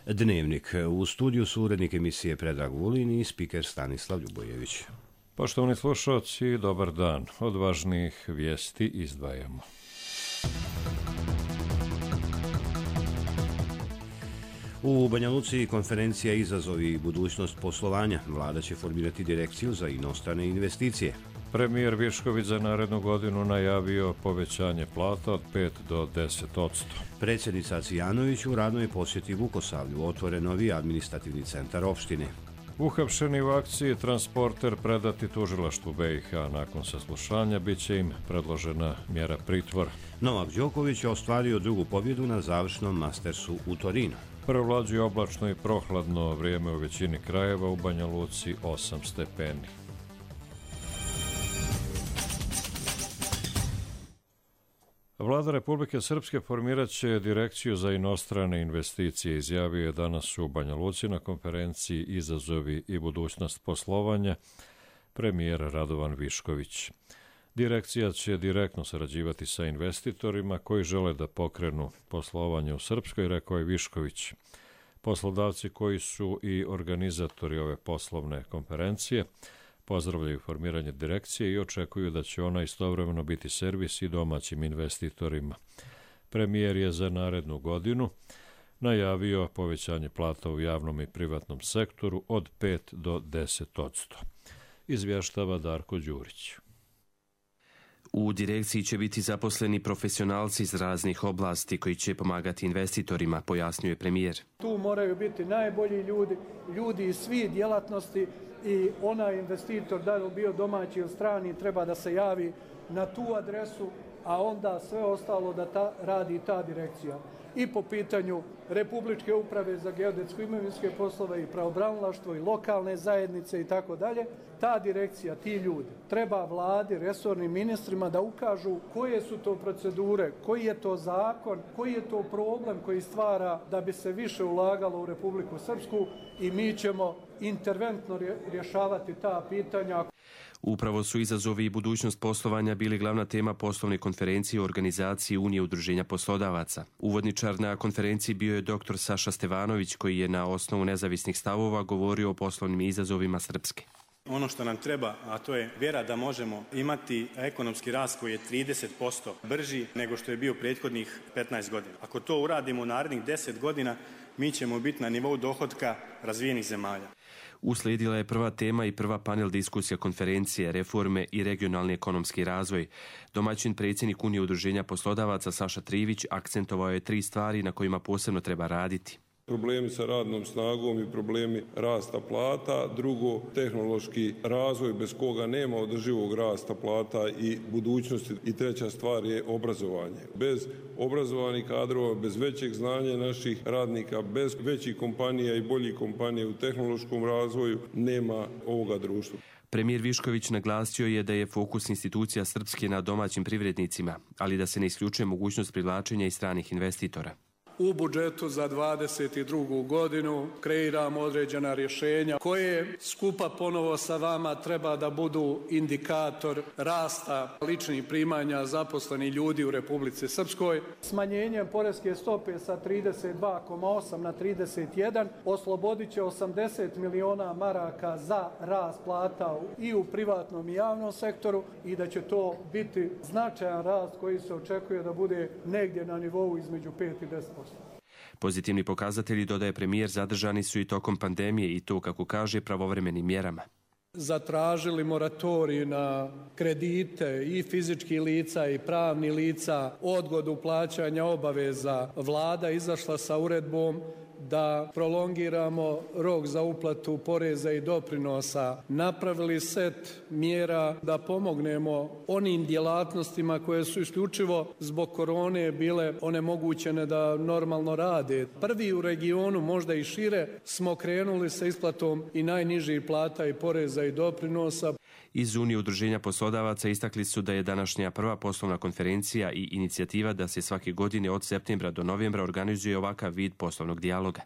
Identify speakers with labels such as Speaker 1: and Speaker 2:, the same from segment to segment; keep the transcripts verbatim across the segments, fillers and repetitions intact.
Speaker 1: Dnevnik. U studiju su urednik emisije Predrag Vulin i spiker Stanislav Ljubojević.
Speaker 2: Poštovani slušalci, dobar dan. Od važnijih vijesti izdvajamo.
Speaker 1: U Banja Luci konferencija Izazovi i budućnost poslovanja. Vlada će formirati direkciju za inostrane investicije.
Speaker 2: Premijer Višković za narednu godinu najavio povećanje plata od pet do deset odsto.
Speaker 1: Predsjednica Cijanović u radnoj posjeti Vukosavlju otvore novi administrativni centar opštine.
Speaker 2: Uhapšeni u akciji transporter predati tužilaštvu B i H. Nakon saslušanja bit će im predložena mjera pritvora.
Speaker 1: Novak Đoković je ostvario drugu pobjedu na završnom Mastersu u Torinu.
Speaker 2: Prevlađuje oblačno i prohladno vrijeme u većini krajeva, u Banja Luci osam stepeni. Vlada Republike Srpske formirat će direkciju za inostrane investicije, izjavio je danas u Banja Luci na konferenciji Izazovi i budućnost poslovanja premijer Radovan Višković. Direkcija će direktno sarađivati sa investitorima koji žele da pokrenu poslovanje u Srpskoj, rekao je Višković. Poslodavci koji su i organizatori ove poslovne konferencije pozdravljaju formiranje direkcije i očekuju da će ona istovremeno biti servis i domaćim investitorima. Premijer je za narednu godinu najavio povećanje plata u javnom i privatnom sektoru od pet do deset odsto. Izvještava Darko Đurić.
Speaker 3: U direkciji će biti zaposleni profesionalci iz raznih oblasti koji će pomagati investitorima, pojasnjuje premijer.
Speaker 4: Tu moraju biti najbolji ljudi, ljudi iz svih djelatnosti i onaj investitor, da li bio domaći ili strani, treba da se javi na tu adresu, a onda sve ostalo da ta, radi ta direkcija. I po pitanju Republičke uprave za geodetsko imovinske poslove i pravobranilaštvo i lokalne zajednice i tako dalje, ta direkcija, ti ljudi, treba vladi, resornim ministrima da ukažu koje su to procedure, koji je to zakon, koji je to problem koji stvara da bi se više ulagalo u Republiku Srpsku i mi ćemo interventno rješavati ta pitanja.
Speaker 3: Upravo su izazovi i budućnost poslovanja bili glavna tema poslovne konferencije u organizaciji Unije udruženja poslodavaca. Uvodničar na konferenciji bio je doktor Saša Stevanović, koji je na osnovu nezavisnih stavova govorio o poslovnim izazovima Srpske.
Speaker 5: Ono što nam treba, a to je vjera da možemo imati ekonomski rast koji je trideset posto brži nego što je bio prethodnih petnaest godina. Ako to uradimo u narednih deset godina, mi ćemo biti na nivou dohotka razvijenih zemalja.
Speaker 3: Uslijedila je prva tema i prva panel diskusija konferencije reforme i regionalni ekonomski razvoj. Domaćin predsjednik Unije udruženja poslodavaca Saša Trivić akcentovao je tri stvari na kojima posebno treba raditi.
Speaker 6: Problemi sa radnom snagom i problemi rasta plata, drugo tehnološki razvoj bez koga nema održivog rasta plata i budućnosti i treća stvar je obrazovanje. Bez obrazovanih kadrova, bez većeg znanja naših radnika, bez većih kompanija i boljih kompanija u tehnološkom razvoju nema ovoga društva.
Speaker 3: Premijer Višković naglasio je da je fokus institucija Srpske na domaćim privrednicima, ali da se ne isključuje mogućnost privlačenja i stranih investitora.
Speaker 4: U budžetu za dvadeset drugu godinu kreiramo određena rješenja koje skupa ponovo sa vama treba da budu indikator rasta ličnih primanja zaposlenih ljudi u Republici Srpskoj. Smanjenjem poreske stope sa trideset dva zarez osam na trideset jedan oslobodit će osamdeset miliona maraka za rast plata i u privatnom i javnom sektoru i da će to biti značajan rast koji se očekuje da bude negdje na nivou između pet i deset posto.
Speaker 3: Pozitivni pokazatelji, dodaje premijer, zadržani su i tokom pandemije i to, kako kaže, pravovremenim mjerama.
Speaker 4: Zatražili moratorij na kredite i fizičkih lica i pravnih lica, odgodu plaćanja obaveza. Vlada izašla sa uredbom da prolongiramo rok za uplatu poreza i doprinosa. Napravili set mjera da pomognemo onim djelatnostima koje su isključivo zbog korone bile onemogućene da normalno rade. Prvi u regionu, možda i šire, smo krenuli sa isplatom i najnižih plata i poreza i doprinosa.
Speaker 3: Iz Unije udruženja poslodavaca istakli su da je današnja prva poslovna konferencija i inicijativa da se svake godine od septembra do novembra organizuje ovakav vid poslovnog dijaloga.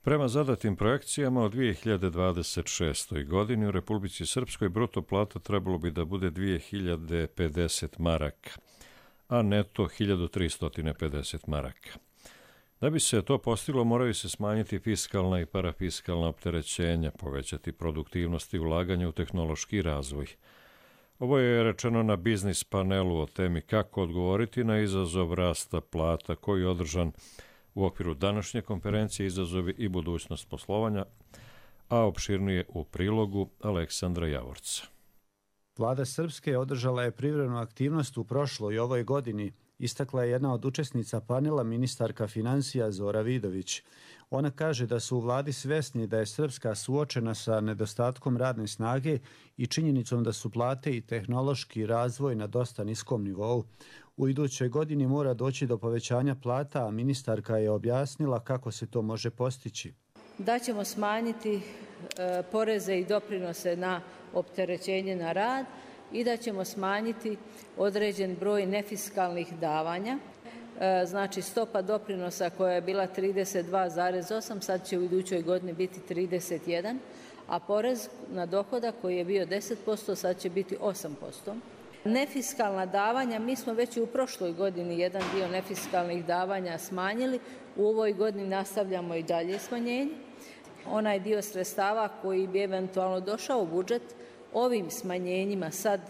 Speaker 2: Prema zadatim projekcijama od dvije hiljade dvadeset šestoj. godini u Republici Srpskoj bruto plata trebalo bi da bude dvije hiljade pedeset maraka, a neto hiljadu tristo pedeset maraka. Da bi se to postiglo, moraju se smanjiti fiskalna i parafiskalna opterećenja, povećati produktivnost i ulaganje u tehnološki razvoj. Ovo je rečeno na biznis panelu o temi kako odgovoriti na izazov rasta plata koji je održan u okviru današnje konferencije Izazovi i budućnost poslovanja, a opširnije u prilogu Aleksandra Javorca.
Speaker 7: Vlada Srpske održala je privremenu aktivnost u prošloj i ovoj godini, istakla je jedna od učesnica panela ministarka financija Zora Vidović. Ona kaže da su u vladi svesni da je Srpska suočena sa nedostatkom radne snage i činjenicom da su plate i tehnološki razvoj na dosta niskom nivou. U idućoj godini mora doći do povećanja plata, a ministarka je objasnila kako se to može postići.
Speaker 8: Da ćemo smanjiti e, poreze i doprinose na opterećenje na rad i da ćemo smanjiti određen broj nefiskalnih davanja. E, znači stopa doprinosa koja je bila trideset dva zarez osam, sad će u idućoj godini biti trideset jedan, a porez na dohodak koji je bio deset posto, sad će biti osam posto. Nefiskalna davanja, mi smo već i u prošloj godini jedan dio nefiskalnih davanja smanjili, u ovoj godini nastavljamo i dalje smanjenje. Onaj dio sredstava koji bi eventualno došao u budžet, ovim smanjenjima sad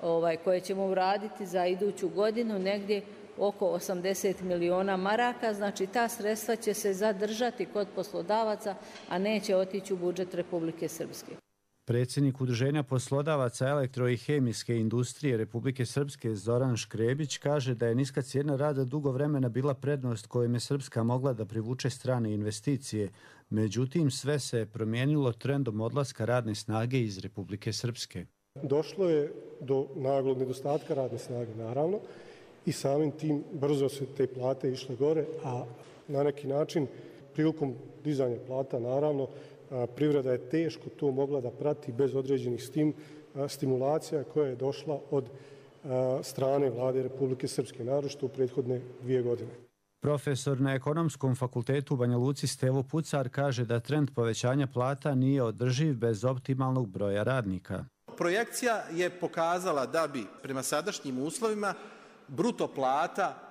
Speaker 8: ovaj, koje ćemo uraditi za iduću godinu, negdje oko osamdeset miliona maraka, znači ta sredstva će se zadržati kod poslodavaca, a neće otići u budžet Republike Srpske.
Speaker 7: Predsjednik Udruženja poslodavaca elektro- i hemijske industrije Republike Srpske Zoran Škrebić kaže da je niska cijena rada dugo vremena bila prednost kojom je Srpska mogla da privuče strane investicije. Međutim, sve se promijenilo trendom odlaska radne snage iz Republike Srpske.
Speaker 9: Došlo je do naglog nedostatka radne snage, naravno, i samim tim brzo se te plate išle gore, a na neki način prilikom dizanja plata, naravno, privreda je teško to mogla da prati bez određenih stim, stimulacija koja je došla od strane vlade Republike Srpske, naročito u prethodne dvije godine.
Speaker 7: Profesor na Ekonomskom fakultetu u Banja Luci Stevo Pucar kaže da trend povećanja plata nije održiv bez optimalnog broja radnika.
Speaker 10: Projekcija je pokazala da bi prema sadašnjim uslovima bruto plata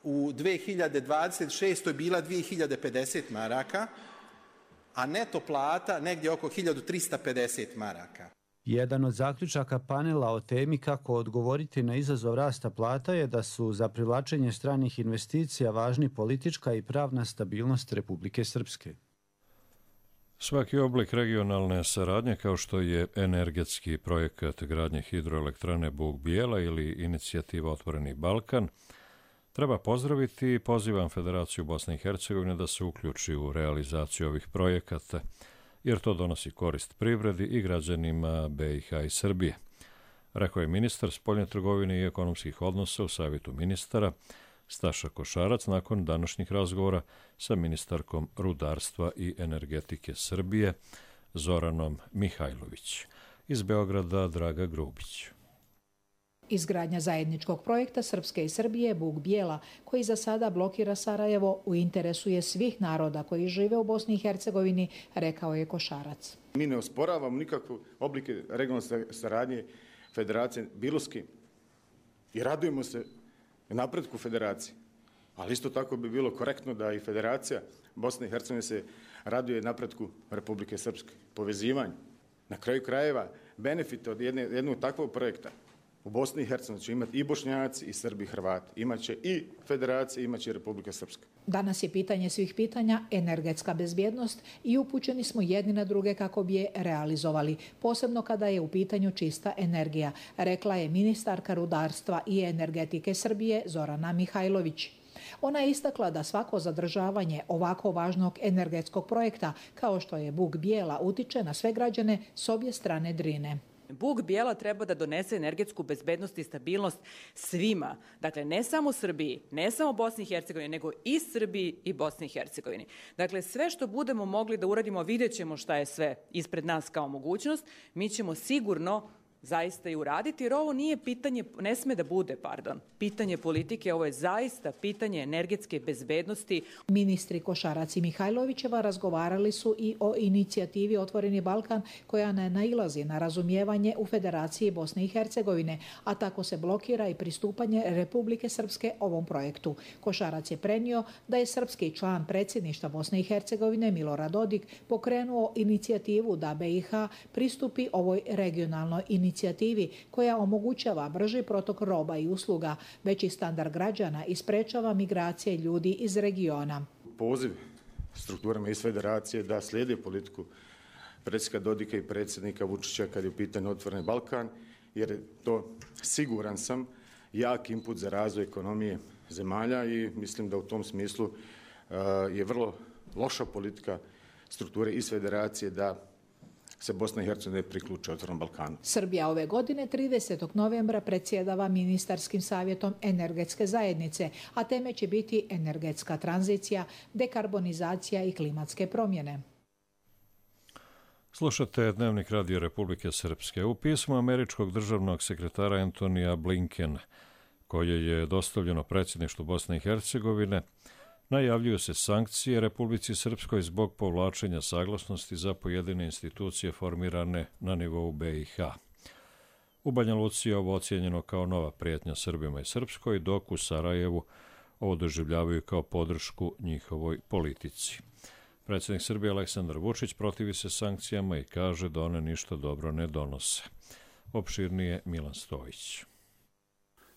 Speaker 10: u dve hiljade dvadeset šestoj bila dve hiljade pedeset maraka, a neto plata negdje oko hiljadu trista pedeset maraka.
Speaker 7: Jedan od zaključaka panela o temi kako odgovoriti na izazov rasta plata je da su za privlačenje stranih investicija važni politička i pravna stabilnost Republike Srpske.
Speaker 2: Svaki oblik regionalne saradnje, kao što je energetski projekat gradnje hidroelektrane Bug-Bijela ili inicijativa Otvoreni Balkan, treba pozdraviti i pozivam Federaciju Bosne i Hercegovine da se uključi u realizaciju ovih projekata, jer to donosi korist privredi i građanima B i H i Srbije, rekao je ministar spoljne trgovine i ekonomskih odnosa u Savjetu ministara Staša Košarac nakon današnjih razgovora sa ministarkom rudarstva i energetike Srbije Zoranom Mihajlović. Iz Beograda Draga Grubić.
Speaker 11: Izgradnja zajedničkog projekta Srpske i Srbije Bug-Bijela, koji za sada blokira Sarajevo, u interesu je svih naroda koji žive u Bosni i Hercegovini, rekao je Košarac.
Speaker 12: Mi ne osporavamo nikakve oblike regionalne saradnje Federacije bilo s kim i radujemo se napretku Federacije. Ali isto tako bi bilo korektno da i Federacija Bosne i Hercegovine se raduje napretku Republike Srpske, povezivanju. Na kraju krajeva, benefit od jedne, jednog takvog projekta u Bosni i Hercegovini će imati i Bošnjaci, i Srbi, i Hrvati. Imaće i Federacija, imaće i Republika Srpska.
Speaker 11: Danas je pitanje svih pitanja energetska bezbjednost i upućeni smo jedni na druge kako bi je realizovali, posebno kada je u pitanju čista energija, rekla je ministarka rudarstva i energetike Srbije Zorana Mihajlović. Ona je istakla da svako zadržavanje ovako važnog energetskog projekta, kao što je Bug-Bijela, utiče na sve građane s obje strane Drine.
Speaker 13: Bug-Bijela treba da donese energetsku bezbednost i stabilnost svima. Dakle, ne samo Srbiji, ne samo Bosni i Hercegovini, nego i Srbiji i Bosni i Hercegovini. Dakle, sve što budemo mogli da uradimo, vidjet ćemo šta je sve ispred nas kao mogućnost. Mi ćemo sigurno zaista i uraditi, jer ovo nije pitanje, ne sme da bude, pardon, pitanje politike, ovo je zaista pitanje energetske bezbednosti.
Speaker 11: Ministri Košarac i Mihajlovićeva razgovarali su i o inicijativi Otvoreni Balkan, koja ne nailazi na razumijevanje u Federaciji Bosne i Hercegovine, a tako se blokira i pristupanje Republike Srpske ovom projektu. Košarac je prenio da je srpski član predsjedništva Bosne i Hercegovine Milorad Dodik pokrenuo inicijativu da B i H pristupi ovoj regionalnoj inicijativi koja omogućava brži protok roba i usluga, veći standard građana i sprečava migracije ljudi iz regiona.
Speaker 12: Poziv strukturama iz federacije da slijede politiku predsjednika Dodika i predsjednika Vučića kad je u pitanju Otvoreni Balkan, jer je to, siguran sam, jak input za razvoj ekonomije zemalja i mislim da u tom smislu uh, je vrlo loša politika strukture iz federacije da se Bosna i Hercegovina priključi Otvorenom Balkanu.
Speaker 11: Srbija ove godine tridesetog novembra predsjedava ministarskim savjetom energetske zajednice, a teme će biti energetska tranzicija, dekarbonizacija i klimatske promjene.
Speaker 2: Slušate Dnevnik Radio Republike Srpske. U pismu američkog državnog sekretara Antonija Blinkena, koje je dostavljeno predsjedništvu Bosne i Hercegovine, najavljuju se sankcije Republici Srpskoj zbog povlačenja saglasnosti za pojedine institucije formirane na nivou B i H. U Banja Luci je ovo ocijenjeno kao nova prijetnja Srbima i Srpskoj, dok u Sarajevu ovo doživljavaju kao podršku njihovoj politici. Predsjednik Srbije Aleksandar Vučić protivi se sankcijama i kaže da one ništa dobro ne donose. Opširnije Milan Stojić.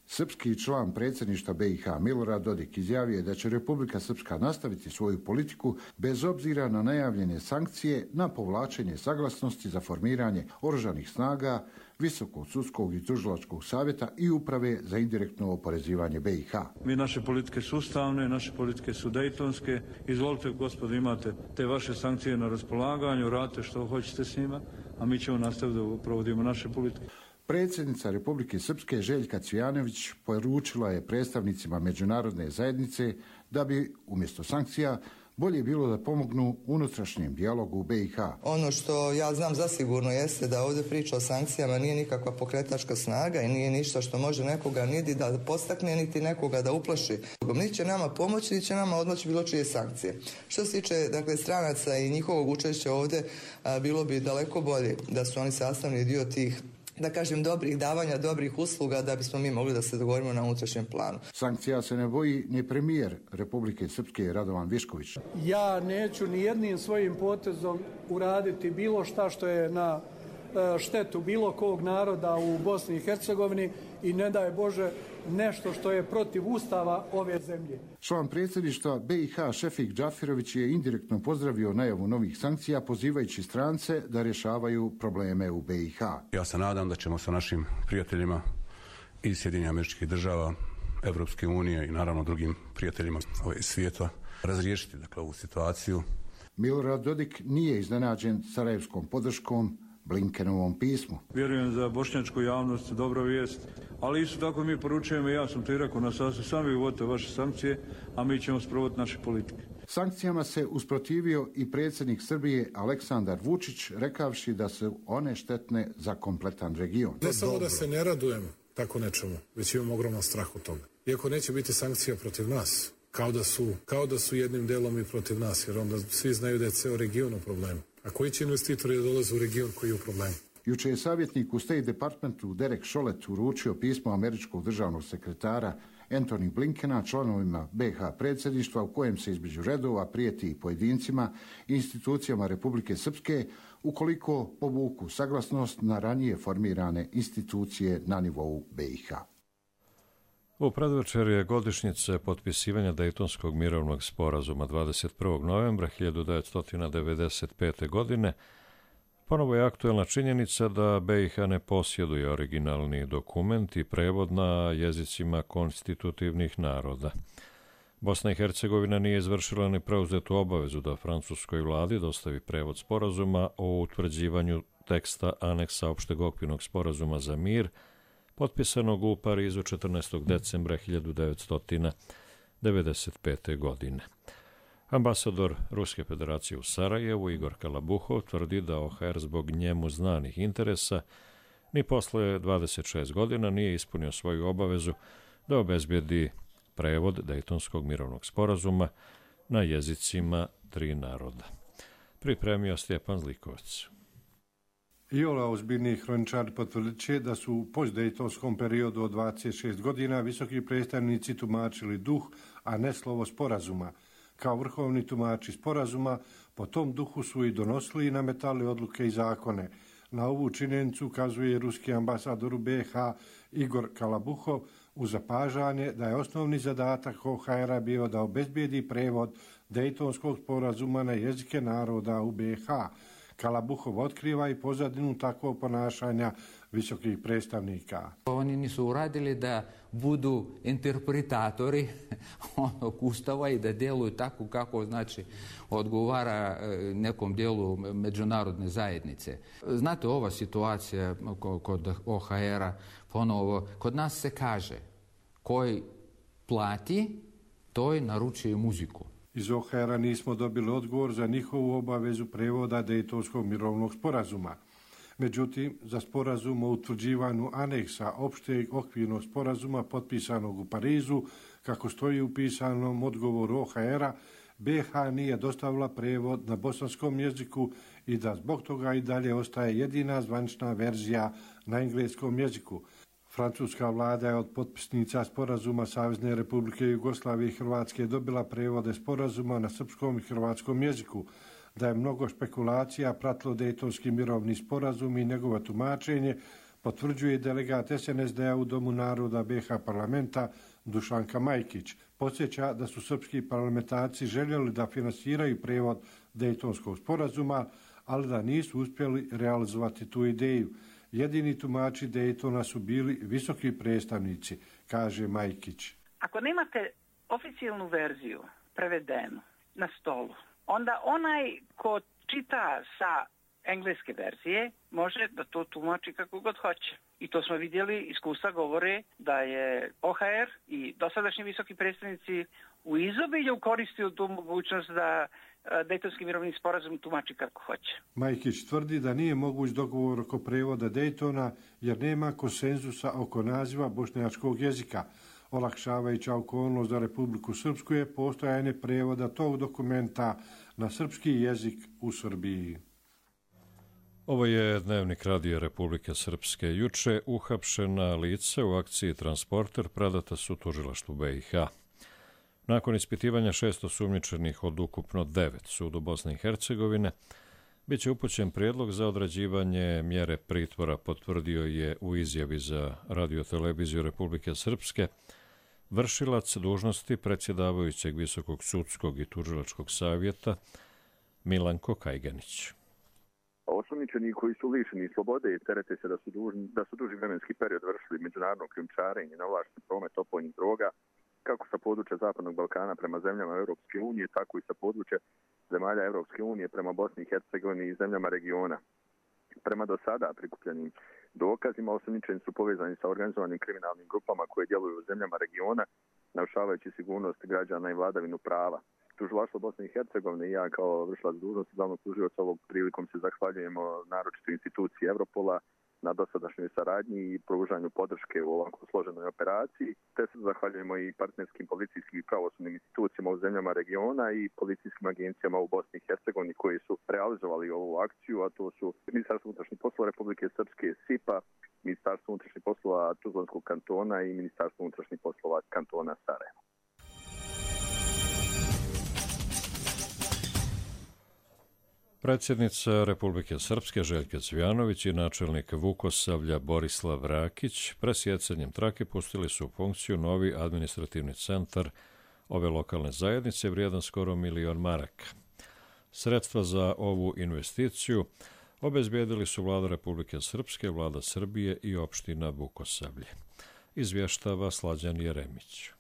Speaker 14: Srpski član predsjedništva B i H Milorad Dodik izjavio je da će Republika Srpska nastaviti svoju politiku bez obzira na najavljene sankcije na povlačenje saglasnosti za formiranje oružanih snaga, Visokog sudskog i tužilačkog savjeta i uprave za indirektno oporezivanje B i H.
Speaker 15: Mi naše politike su ustavne, naše politike su dejtonske. Izvolite, gospodo, imate te vaše sankcije na raspolaganju, radite što hoćete s njima, a mi ćemo nastaviti da provodimo naše politike.
Speaker 14: Predsjednica Republike Srpske Željka Cvijanović poručila je predstavnicima međunarodne zajednice da bi umjesto sankcija bolje bilo da pomognu unutrašnjem dijalogu u B i H.
Speaker 16: Ono što ja znam zasigurno jeste da ovdje priča o sankcijama nije nikakva pokretačka snaga i nije ništa što može nekoga niti da postakne, niti nekoga da uplaši. Niti će nama pomoći, niti će nama odmoći bilo čije sankcije. Što se tiče dakle, stranaca i njihovog učešća ovdje, a, bilo bi daleko bolje da su oni sastavni dio tih, da kažem, dobrih davanja, dobrih usluga da bismo mi mogli da se dogovorimo na unutrašnjem planu.
Speaker 14: Sankcija se ne boji ni premijer Republike Srpske Radovan Višković.
Speaker 4: Ja neću ni jednim svojim potezom uraditi bilo šta što je na štetu bilo kog naroda u Bosni i Hercegovini i ne daj Bože nešto što je protiv ustava ove zemlje.
Speaker 14: Član predsjedništva B i H Šefik Džafirović je indirektno pozdravio najavu novih sankcija pozivajući strance da rješavaju probleme u B i H.
Speaker 17: Ja se nadam da ćemo sa našim prijateljima iz Sjedinjenih Američkih Država, Evropske unije i naravno drugim prijateljima iz svijeta razriješiti dakle, ovu situaciju.
Speaker 14: Milorad Dodik nije iznenađen sarajevskom podrškom Blinkenovom pismu.
Speaker 15: Vjerujem za bošnjačku javnost dobra vijest, ali isto tako mi poručujemo, ja sam to i rekao na sastavu, sami uvodite vaše sankcije, a mi ćemo sprovoditi naše politike.
Speaker 14: Sankcijama se usprotivio i predsjednik Srbije Aleksandar Vučić, rekavši da su one štetne za kompletan region.
Speaker 18: Ne samo da se ne radujem tako nečemu, već imam ogroman strah od toga. Iako neće biti sankcija protiv nas, kao da su, kao da su jednim delom i protiv nas, jer onda svi znaju da je ceo region u problemu. A koji će investitori da dolaze u region koji je u problemu?
Speaker 14: Juče je savjetnik u State Departmentu Derek Chollet uručio pismo američkog državnog sekretara Antony Blinkena članovima B H predsjedništva u kojem se između redova prijeti i pojedincima i institucijama Republike Srpske ukoliko povuku saglasnost na ranije formirane institucije na nivou B i H.
Speaker 2: U predvečer je godišnjice potpisivanja Dejtonskog mirovnog sporazuma dvadeset prvog novembra hiljadu devetsto devedeset pete. godine. Ponovo je aktuelna činjenica da B i H ne posjeduje originalni dokument i prevod na jezicima konstitutivnih naroda. Bosna i Hercegovina nije izvršila ni preuzetu obavezu da francuskoj vladi dostavi prevod sporazuma o utvrđivanju teksta aneksa opšteg okvirnog sporazuma za mir, potpisanog u Parizu četrnaestog decembra hiljadu devetsto devedeset pete. godine. Ambasador Ruske federacije u Sarajevu Igor Kalabuhov tvrdi da O H R zbog njemu znanih interesa ni posle dvadeset šest godina nije ispunio svoju obavezu da obezbedi prevod Dejtonskog mirovnog sporazuma na jezicima tri naroda. Pripremio Stjepan Zlikovac.
Speaker 19: Iole ozbiljni hroničari potvrdit će da su u postdejtonskom periodu od dvadeset šest godina visoki predstavnici tumačili duh, a ne slovo sporazuma. Kao vrhovni tumači sporazuma, po tom duhu su i donosili i nametali odluke i zakone. Na ovu činjenicu ukazuje ruski ambasador u B H Igor Kalabuhov u zapažanje da je osnovni zadatak O H R-a bio da obezbijedi prevod Dejtonskog sporazuma na jezike naroda u B H. Kalabuhov otkriva i pozadinu takvog ponašanja visokih predstavnika.
Speaker 20: Oni nisu uradili da budu interpretatori onog ustava i da djeluju tako kako znači odgovara nekom dijelu međunarodne zajednice. Znate, ova situacija kod O H R-a, ponovo, kod nas se kaže koji plati, toj naručuje muziku.
Speaker 19: Iz O H R-a nismo dobili odgovor za njihovu obavezu prevoda Dejtonskog mirovnog sporazuma. Međutim, za sporazum o utvrđivanju aneksa opšteg okvirnog sporazuma potpisanog u Parizu, kako stoji u pisanom odgovoru O H R-a, B H nije dostavila prevod na bosanskom jeziku i da zbog toga i dalje ostaje jedina zvanična verzija na engleskom jeziku. Francuska vlada je od potpisnica sporazuma Savezne Republike Jugoslavije i Hrvatske dobila prevode sporazuma na srpskom i hrvatskom jeziku. Da je mnogo špekulacija pratilo Dejtonski mirovni sporazum i njegovo tumačenje, potvrđuje delegat S N S D-a u Domu naroda B H parlamenta Dušanka Majkić. Podsjeća da su srpski parlamentarci željeli da finansiraju prevod Dejtonskog sporazuma, ali da nisu uspjeli realizovati tu ideju. Jedini tumači Dejtona su bili visoki predstavnici, kaže Majkić.
Speaker 21: Ako nemate oficijalnu verziju prevedenu na stolu, onda onaj ko čita sa engleske verzije može da to tumači kako god hoće. I to smo vidjeli, iskustva govore da je O H R i dosadašnji visoki predstavnici u izobilju koristio tu mogućnost da Dejtonski mirovni sporazum tumači kako hoće.
Speaker 19: Majkić tvrdi da nije moguć dogovor oko prevoda Dejtona jer nema konsenzusa oko naziva bošnjačkog jezika. Olakšavajuća okolnost za Republiku Srpsku je postojanje prevoda tog dokumenta na srpski jezik u Srbiji.
Speaker 2: Ovo je Dnevnik Radio Republike Srpske. Juče uhapšena lica u akciji Transporter predata su tužilaštvu B i H. Nakon ispitivanja šest osumnjičenih od ukupno devet sudu Bosne i Hercegovine, bit će upućen prijedlog za određivanje mjere pritvora, potvrdio je u izjavi za radioteleviziju Republike Srpske vršilac dužnosti predsjedavajućeg Visokog sudskog i tužilačkog savjeta Milanko Kajganić.
Speaker 22: Osumnjičeni koji su lišeni slobode i terete se da su, dužni, da su duži vremenski period vršili međunarodno krijumčarenje na ovlašten promet opojnih droga, kako sa područja Zapadnog Balkana prema zemljama Europske unije, tako i sa područja zemalja Europske unije prema Bosni i Hercegovini i zemljama regiona. Prema do sada prikupljenim dokazima, osumnjičeni su povezani sa organizovanim kriminalnim grupama koje djeluju u zemljama regiona, narušavajući sigurnost građana i vladavinu prava. Tužilaštvo Bosne i Hercegovine i ja kao vršilac dužnosti glavnog tužioca ovog prilikom se zahvaljujemo naročito instituciji Europola na dosadašnjoj saradnji i pružanju podrške u ovako složenoj operaciji, te se zahvaljujemo i partnerskim policijskim i pravosudnim institucijama u zemljama regiona i policijskim agencijama u Bosni i Hercegovini koji su realizovali ovu akciju, a to su Ministarstvo unutrašnjih poslova Republike Srpske S I P A, Ministarstvo unutrašnjih poslova Tuzlanskog kantona i Ministarstvo unutrašnjih poslova kantona Sarajevo.
Speaker 2: Predsjednica Republike Srpske Željka Cvijanović i načelnik Vukosavlja Borislav Rakić presjecanjem trake pustili su u funkciju novi administrativni centar ove lokalne zajednice vrijedan skoro milion maraka. Sredstva za ovu investiciju obezbijedili su vlada Republike Srpske, vlada Srbije i opština Vukosavlje. Izvještava Slađan Jeremić.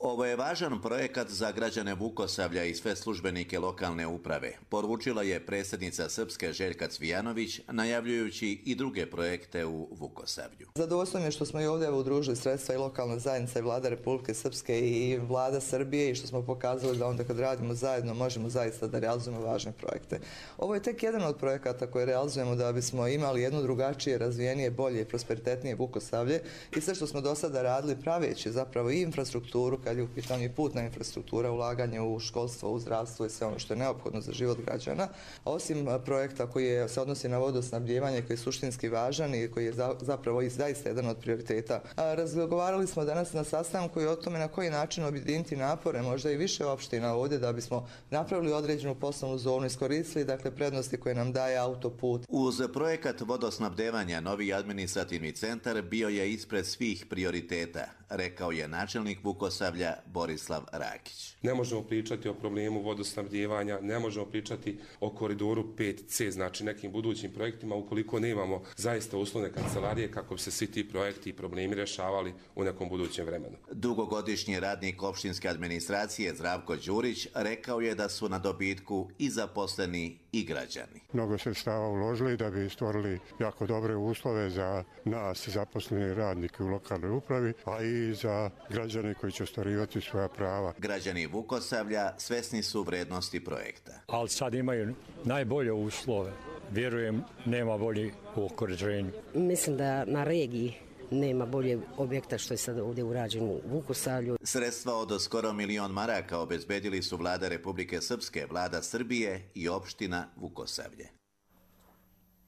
Speaker 1: Ovo je važan projekat za građane Vukosavlja i sve službenike lokalne uprave, poručila je predsjednica Srpske Željka Cvijanović, najavljujući i druge projekte u Vukosavlju.
Speaker 16: Zadovoljstvo mi je što smo i ovdje udružili sredstva i lokalna zajednica i vlada Republike Srpske i vlada Srbije i što smo pokazali da onda kad radimo zajedno možemo zaista da realizujemo važne projekte. Ovo je tek jedan od projekata koje realizujemo da bismo imali jedno drugačije, razvijenije, bolje i prosperitetnije Vukosavlje i sve što smo do sada radili praveći zapravo i infrastrukturu, kad je u pitanju i putna infrastruktura, ulaganje u školstvo, u zdravstvo i sve ono što je neophodno za život građana. Osim projekta koji je, se odnosi na vodosnabdijevanje, koji je suštinski važan i koji je za, zapravo i zaista jedan od prioriteta. A, razgovarali smo danas na sastanku i o tome na koji način objediniti napore, možda i više opština ovdje da bismo napravili određenu poslovnu zonu, iskoristili dakle prednosti koje nam daje autoput.
Speaker 1: Uz projekat vodosnabdevanja novi administrativni centar bio je ispred svih prioriteta, rekao je načelnik Vukosavlja Borislav Rakić.
Speaker 5: Ne možemo pričati o problemu vodosnabdijevanja, ne možemo pričati o koridoru pet ce, znači nekim budućim projektima, ukoliko nemamo zaista uslovne kancelarije kako bi se svi ti projekti i problemi rješavali u nekom budućem vremenu.
Speaker 1: Dugogodišnji radnik opštinske administracije Zdravko Đurić rekao je da su na dobitku i zaposleni i građani.
Speaker 23: Mnogo sredstava uložili da bi stvorili jako dobre uslove za nas zaposleni radnike u lokalnoj upravi, a i za građane koji će ostvarivati svoja prava.
Speaker 1: Građani Vukosavlja svesni su vrednosti projekta.
Speaker 24: Ali sad imaju najbolje uslove. Vjerujem, nema bolje u okruženju.
Speaker 25: Mislim da na regiji nema bolje objekta što je sad ovdje urađeno u Vukosavlju.
Speaker 1: Sredstva od skoro milion maraka obezbedili su vlada Republike Srpske, vlada Srbije i opština Vukosavlje.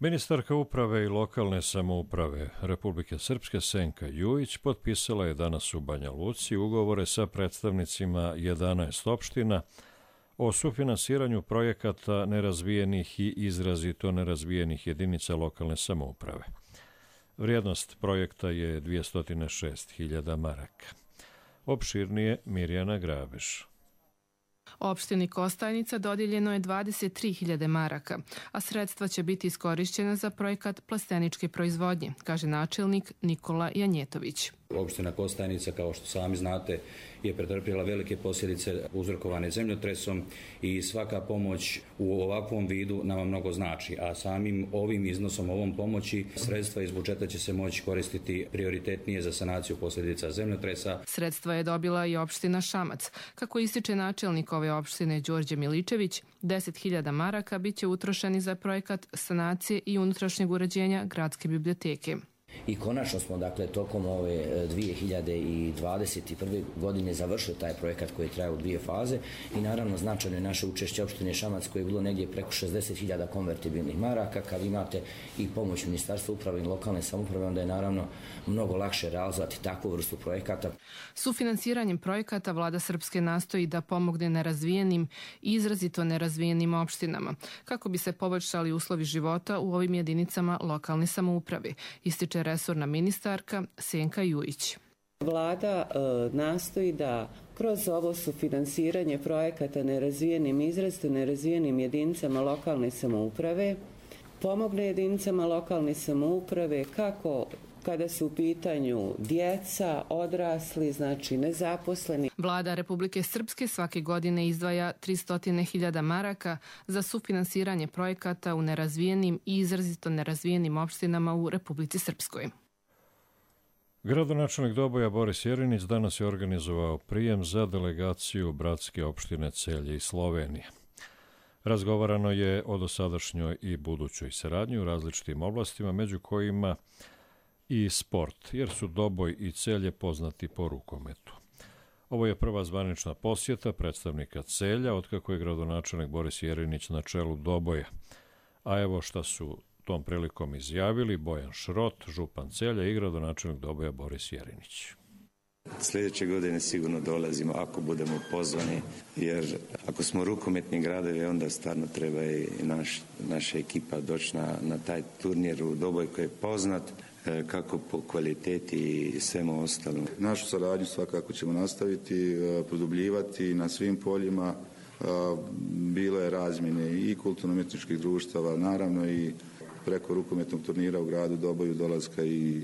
Speaker 2: Ministarka uprave i lokalne samouprave Republike Srpske Senka Jujić potpisala je danas u Banja Luci ugovore sa predstavnicima jedanaest opština o sufinansiranju projekata nerazvijenih i izrazito nerazvijenih jedinica lokalne samouprave. Vrijednost projekta je dvjesto šest hiljada maraka. Opširnije Mirjana Grabeš.
Speaker 26: Opštini Kostajnica dodijeljeno je dvadeset tri hiljade maraka, a sredstva će biti iskorišćena za projekat plasteničke proizvodnje, kaže načelnik Nikola Janjetović.
Speaker 27: Opština Kostajnica, kao što sami znate, je pretrpjela velike posljedice uzrokovane zemljotresom i svaka pomoć u ovakvom vidu nama mnogo znači, a samim ovim iznosom, ovom pomoći, sredstva iz budžeta će se moći koristiti prioritetnije za sanaciju posljedica zemljotresa.
Speaker 26: Sredstva je dobila i opština Šamac. Kako ističe načelnik ove opštine Đorđe Miličević, deset hiljada maraka biće utrošeni za projekat sanacije i unutrašnjeg uređenja gradske biblioteke.
Speaker 28: I konačno smo, dakle, tokom ove dvije hiljade dvadeset prve. godine završili taj projekat koji je trajao u dvije faze i naravno značajno je naše učešće opštine Šamac koje je bilo negdje preko šezdeset hiljada konvertibilnih maraka. Kad imate i pomoć Ministarstva uprave i lokalne samouprave, onda je naravno mnogo lakše realizovati takvu vrstu projekata.
Speaker 26: Sufinansiranjem projekata vlada Srpske nastoji da pomogne nerazvijenim i izrazito nerazvijenim opštinama, kako bi se poboljšali uslovi života u ovim jedinicama lokalne samouprave, ističe resorna ministarka Senka Jujić.
Speaker 29: Vlada e, nastoji da kroz ovo sufinansiranje projekata nerazvijenim, izrazito nerazvijenim jedinicama lokalne samouprave pomogne jedinicama lokalne samouprave kako kada su u pitanju djeca, odrasli, znači nezaposleni.
Speaker 26: Vlada Republike Srpske svake godine izdvaja tristo hiljada maraka za sufinansiranje projekata u nerazvijenim i izrazito nerazvijenim opštinama u Republici Srpskoj.
Speaker 2: Gradonačelnik Doboja Boris Jerinić danas je organizovao prijem za delegaciju bratske opštine Celje i Slovenije. Razgovarano je o dosadašnjoj i budućoj saradnji u različitim oblastima, među kojima i sport, jer su Doboj i Celje poznati po rukometu. Ovo je prva zvanična posjeta predstavnika Celja otkako je gradonačelnik Boris Jerinić na čelu Doboja. A evo šta su tom prilikom izjavili Bojan Šrot, župan Celja i gradonačelnik Doboja Boris Jerinić.
Speaker 30: Sljedeće godine sigurno dolazimo ako budemo pozvani, jer ako smo rukometni gradovi, onda stvarno treba i naš, naša ekipa doći na, na taj turnir u Doboj koji je poznat kako po kvaliteti i svemu ostalom.
Speaker 31: Našu saradnju svakako ćemo nastaviti, produbljivati na svim poljima. Bilo je razmjene i kulturno-umjetničkih društava, naravno i preko rukometnog turnira u gradu Doboju dolaska i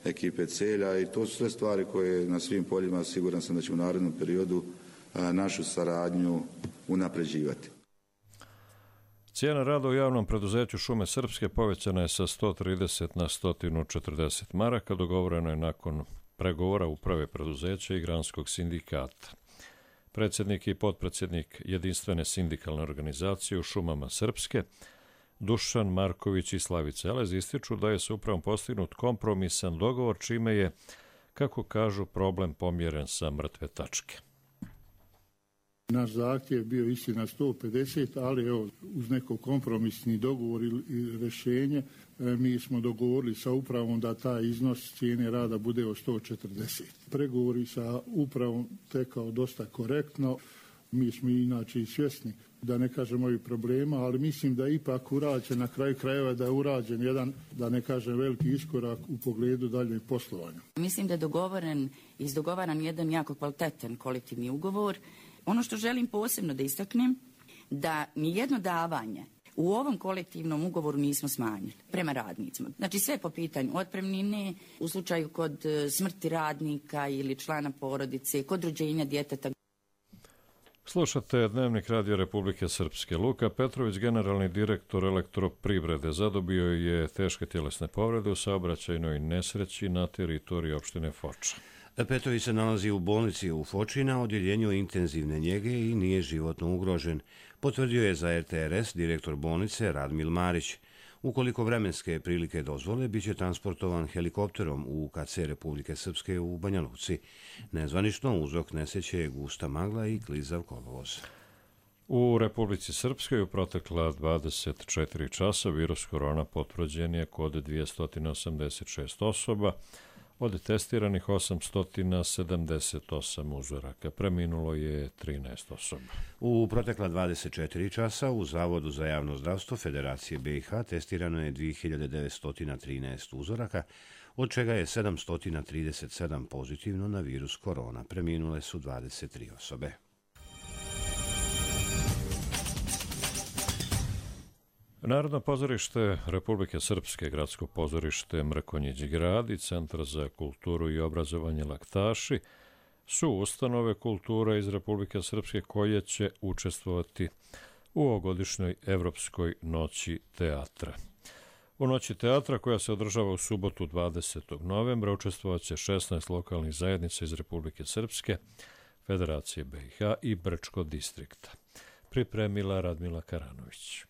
Speaker 31: ekipe Celja i to su sve stvari koje na svim poljima siguran sam da će u narednom periodu našu saradnju unapređivati.
Speaker 2: Cijena rada u javnom preduzeću Šume Srpske povećana je sa sto trideset na sto četrdeset maraka, dogovoreno je nakon pregovora uprave preduzeća i granskog sindikata. Predsjednik i potpredsjednik jedinstvene sindikalne organizacije u Šumama Srpske, Dušan Marković i Slavica Elez, ističu da je s upravom postignut kompromisan dogovor, čime je, kako kažu, problem pomjeren sa mrtve tačke.
Speaker 3: Naš zahtjev bio istina sto pedeset, ali evo, uz neko kompromisni dogovor i rješenje mi smo dogovorili sa upravom da taj iznos cijene rada bude od sto četrdeset. Pregovori sa upravom tekao dosta korektno. Mi smo inače i svjesni, da ne kažem ovih problema, ali mislim da je ipak urađen, na kraju krajeva da je urađen jedan, da ne kažem, veliki iskorak u pogledu daljnjeg poslovanja.
Speaker 4: Mislim da je dogovoren, izdogovaran jedan jako kvalitetan kolektivni ugovor. Ono što želim posebno da istaknem, da nijedno davanje u ovom kolektivnom ugovoru nismo smanjili prema radnicima. Znači sve po pitanju otpremnine, u slučaju kod smrti radnika ili člana porodice, kod rođenja djeteta.
Speaker 2: Slušate Dnevnik Radio Republike Srpske. Luka Petrović, generalni direktor Elektroprivrede, zadobio je teške tjelesne povrede u saobraćajnoj nesreći na teritoriji opštine Foča.
Speaker 6: Petrović se nalazi u bolnici u Foči na odjeljenju intenzivne njege i nije životno ugrožen, potvrdio je za R T R S direktor bolnice Radmil Marić. Ukoliko vremenske prilike dozvole, bit će transportovan helikopterom u K C Republike Srpske u Banja Luci. Nezvanično uzrok nesreće je gusta magla i klizav kolovoz.
Speaker 2: U Republici Srpskoj u protekla dvadeset četiri časa virus korona potvrđen je kod dvjesto osamdeset šest osoba, od testiranih osamsto sedamdeset osam uzoraka. Preminulo je trinaest osoba.
Speaker 6: U protekla dvadeset četiri časa u Zavodu za javno zdravstvo Federacije B i H testirano je dvije hiljade devetsto trinaest uzoraka, od čega je sedamsto trideset sedam pozitivno na virus korona. Preminule su dvadeset tri osobe.
Speaker 2: Narodno pozorište Republike Srpske, Gradsko pozorište Mrkonjić grad i Centar za kulturu i obrazovanje Laktaši su ustanove kultura iz Republike Srpske koje će učestvovati u ovogodišnjoj Evropskoj noći teatra. U noći teatra, koja se održava u subotu dvadesetog novembra, učestvovat će šesnaest lokalnih zajednica iz Republike Srpske, Federacije B i H i Brčko distrikta. Pripremila Radmila Karanović.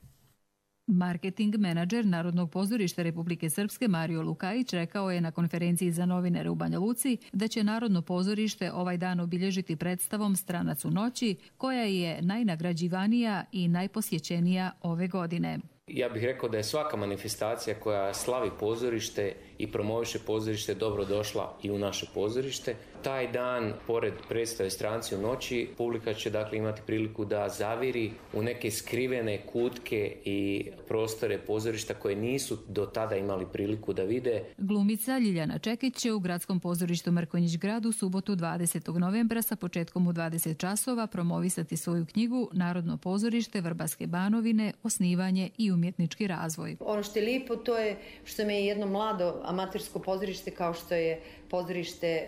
Speaker 7: Marketing menadžer Narodnog pozorišta Republike Srpske Mario Lukajić rekao je na konferenciji za novinare u Banja Luci da će Narodno pozorište ovaj dan obilježiti predstavom Stranac u noći, koja je najnagrađivanija i najposjećenija ove godine.
Speaker 8: Ja bih rekao da je svaka manifestacija koja slavi pozorište i promoviše pozorište dobro došla i u naše pozorište. Taj dan, pored predstave Stranci u noći, publika će dakle imati priliku da zaviri u neke skrivene kutke i prostore pozorišta koje nisu do tada imali priliku da vide.
Speaker 7: Glumica Ljiljana Čekić će u Gradskom pozorištu Mrkonjić grad u subotu dvadesetog novembra sa početkom u dvadeset časova promovisati svoju knjigu Narodno pozorište Vrbaske Banovine, osnivanje i umjetnički razvoj.
Speaker 9: Ono što je lijepo, to je što me je jedno mlado amatersko pozorište kao što je pozorište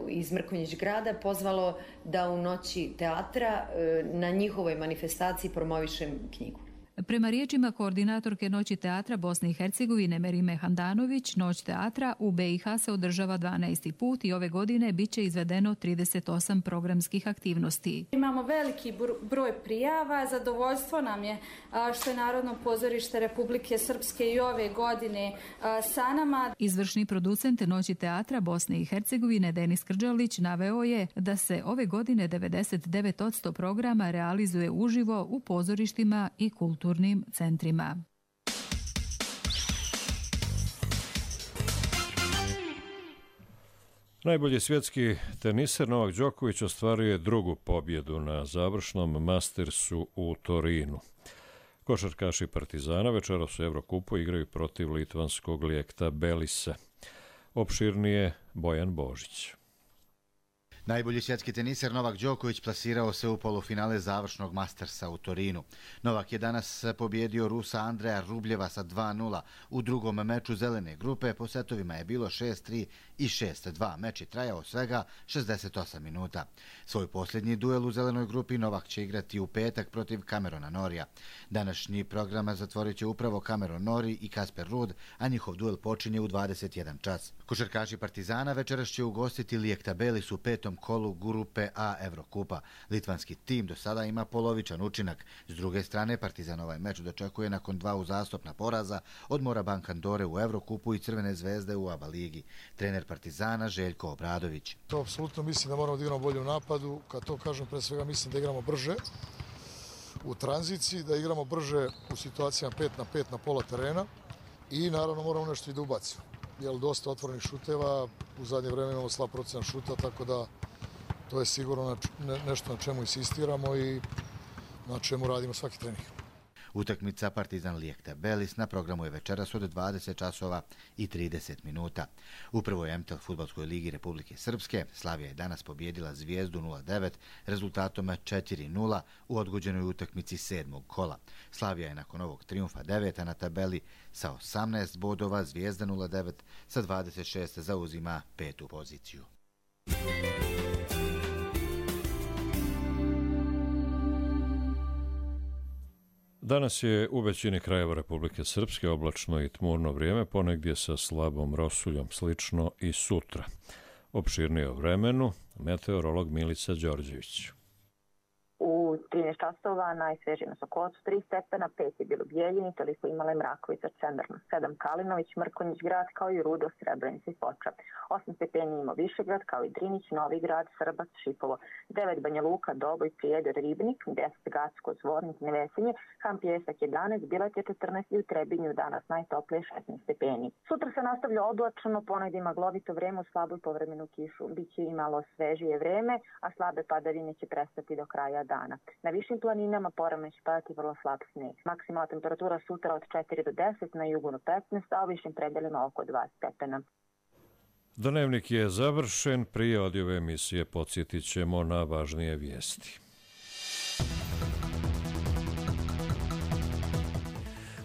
Speaker 9: iz Mrkonjić grada pozvalo da u noći teatra na njihovoj manifestaciji promovišem knjigu.
Speaker 7: Prema riječima koordinatorke Noći teatra Bosne i Hercegovine Merime Handanović, Noć teatra u B i H se održava dvanaesti put i ove godine bit će izvedeno trideset osam programskih aktivnosti.
Speaker 10: Imamo veliki broj prijava, zadovoljstvo nam je što je Narodno pozorište Republike Srpske i ove godine sa nama.
Speaker 7: Izvršni producent Noći teatra Bosne i Hercegovine Denis Krđalić naveo je da se ove godine devedeset devet posto programa realizuje uživo u pozorištima i kulturnim centrima.
Speaker 2: Najbolji svjetski teniser Novak Đoković ostvaruje drugu pobjedu na završnom Mastersu u Torinu. Košarkaši Partizana večeras u Evrokupu igraju protiv litvanskog Lijekta Belisa. Opširnije Bojan Božić.
Speaker 11: Najbolji svjetski teniser Novak Đoković plasirao se u polufinale završnog Mastersa u Torinu. Novak je danas pobjedio Rusa Andreja Rubljeva sa dva nula. U drugom meču zelene grupe po setovima je bilo šest tri i šest dva. Meč je trajao svega šezdeset osam minuta. Svoj posljednji duel u zelenoj grupi Novak će igrati u petak protiv Camerona Norija. Današnji program zatvorit će upravo Cameron Norrie i Casper Ruud, a njihov duel počinje u dvadeset jedan čas. Košarkaši Partizana večeras će ugostiti Liektabelis u petom kolu grupe A Evrokupa. Litvanski tim do sada ima polovičan učinak. S druge strane, Partizan ovaj meč dočekuje nakon dva uzastopna poraza od Morabank Andore u Evrokupu i Crvene zvezde u ABA ligi. Trener Partizana Željko Obradović.
Speaker 12: To apsolutno mislim da moramo da igramo bolje u napadu. Kad to kažem, pre svega mislim da igramo brže u tranziciji, da igramo brže u situacijama pet na pet na pola terena i naravno moramo nešto i da ubacimo. Jer dosta otvorenih šuteva, u zadnje vreme imamo slab procenat šuta, tako da to je sigurno nešto na čemu insistiramo i na čemu radimo svaki trening.
Speaker 11: Utakmica Partizan Liektabelis na programu je večeras od dvadeset časova i trideset minuta. U prvoj M T L fudbalskoj ligi Republike Srpske Slavija je danas pobjedila Zvijezdu nula devet rezultatom četiri nula u odgođenoj utakmici sedmog kola. Slavija je nakon ovog trijumfa deveta na tabeli sa osamnaest bodova, Zvijezda nula devet sa dvadeset šest zauzima petu poziciju.
Speaker 2: Danas je u većini krajeva Republike Srpske oblačno i tmurno vrijeme, ponegdje sa slabom rosuljom, slično i sutra. Opširnije o vremenu, meteorolog Milica Đorđević.
Speaker 13: U trinaest časova najsvežije na Sokocu tri stepena, pet je bilo Bijeljini, toliko imale Mrakovica, Čendarno sedam, Kalinović, Mrkonjić grad kao i Rudo, Srebrenica i Foča. osam stepeni ima Višegrad kao i Drinić, Novi grad, Srbac, Šipovo. devet Banja Luka, Doboj, Prijedor, Ribnik, deset Gacko, Zvornik, Nevesinje, Ham Pjesak jedanaest, Bilat je četrnaest i u Trebinju danas najtoplije šesnaest stepeni. Sutra se nastavlja oblačno, ponegdje maglovito vreme u slaboj povremenu kišu. Biće i malo svežije vreme, a slabe padavine će prestati do kraja dana. Na višim planinama porano će padati vrlo slab sneg. Maksimalna temperatura sutra od četiri do deset, na jugu do petnaest, a u višim predelima oko dva stepena.
Speaker 2: Dnevnik je završen, prije odjave emisije podsjetit ćemo na važnije vijesti.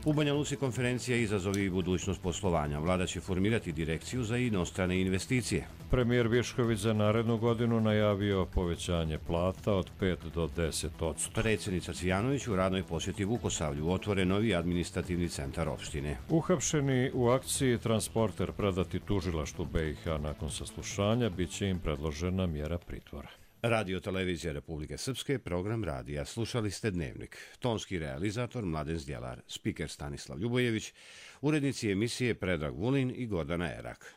Speaker 6: U Banja Luci konferencija Izazovi i budućnost poslovanja. Vlada će formirati direkciju za inostrane investicije.
Speaker 2: Premijer Višković za narednu godinu najavio povećanje plata od pet do deset odsto.
Speaker 6: Predsjednica Cvijanović u radnoj posjeti Vukosavlju otvore novi administrativni centar opštine.
Speaker 2: Uhapšeni u akciji transporter predati tužilaštvu B i H nakon saslušanja biće im predložena mjera pritvora.
Speaker 6: Radio Televizija Republike Srpske, program radija. Slušali ste Dnevnik. Tonski realizator Mladen Zdjelar, spiker Stanislav Ljubojević, urednici emisije Predrag Vulin i Gordana Erak.